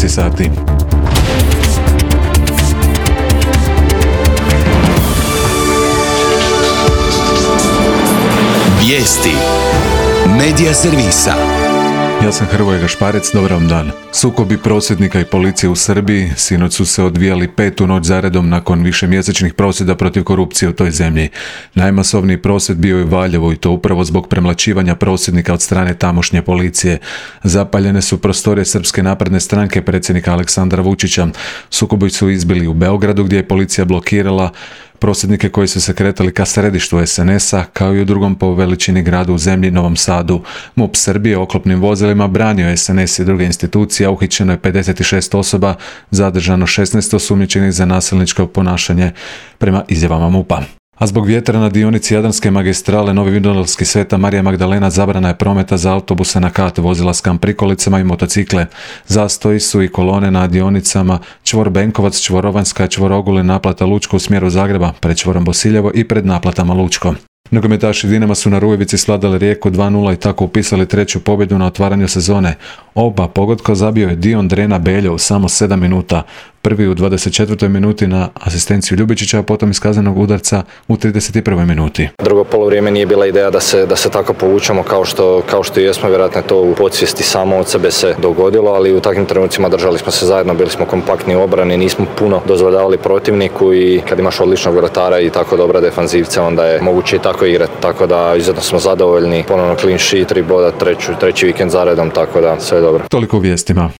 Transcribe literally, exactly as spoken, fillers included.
dvanaest sati. Vijesti Medija servisa. Ja sam Hrvoje Gašparec, dobar vam dan. Sukobi prosvjednika i policije u Srbiji sinoć su se odvijali petu noć zaredom nakon višemjesečnih prosvjeda protiv korupcije u toj zemlji. Najmasovniji prosvjed bio je u Valjevu i to upravo zbog premlaćivanja prosvjednika od strane tamošnje policije. Zapaljene su prostorije Srpske napredne stranke predsjednika Aleksandra Vučića. Sukobi su izbili u Beogradu gdje je policija blokirala prosvjednike koji su se kretali ka središtu es en es a, kao i u drugom po veličini gradu u zemlji, Novom Sadu. MUP Srbije oklopnim vozilima branio es en es i druge institucije, a uhićeno je pedeset šest osoba, zadržano šesnaest osumnjičenih za nasilničko ponašanje prema izjavama MUP-a. A zbog vjetra na dionici Jadranske magistrale Novi Vinodolski Sveta Marija Magdalena zabrana je prometa za autobuse na kat, vozila s kamp prikolicama i motocikle. Zastoji su i kolone na dionicama čvor Benkovac, čvor Ovanjska, čvor Ogulin, naplata Lučko u smjeru Zagreba, pred čvorom Bosiljevo i pred naplatama Lučko. Nogometaši Dinama su na Rujevici svladali Rijeku dva nula i tako upisali treću pobjedu na otvaranju sezone. Oba pogotka zabio je Dion Drena Beljo u samo sedam minuta. Prvi u dvadeset četvrtoj minuti na asistenciju Ljubičića, a potom iz kaznenog udarca u trideset prvoj minuti. Drugo polovrijeme nije bila ideja da se, da se tako povučemo kao što, kao što jesmo, vjerojatno to u podsvijesti samo od sebe se dogodilo, ali u takvim trenucima držali smo se zajedno, bili smo kompaktni u obrani, nismo puno dozvoljavali protivniku i kad imaš odličnog vratara i tako dobra defanzivca, onda je moguće i tako igrati, tako da izuzetno smo zadovoljni, ponovno clean sheet, tri boda, treću, treći vikend zaredom, tako da sve je dobro. Toliko u vijestima.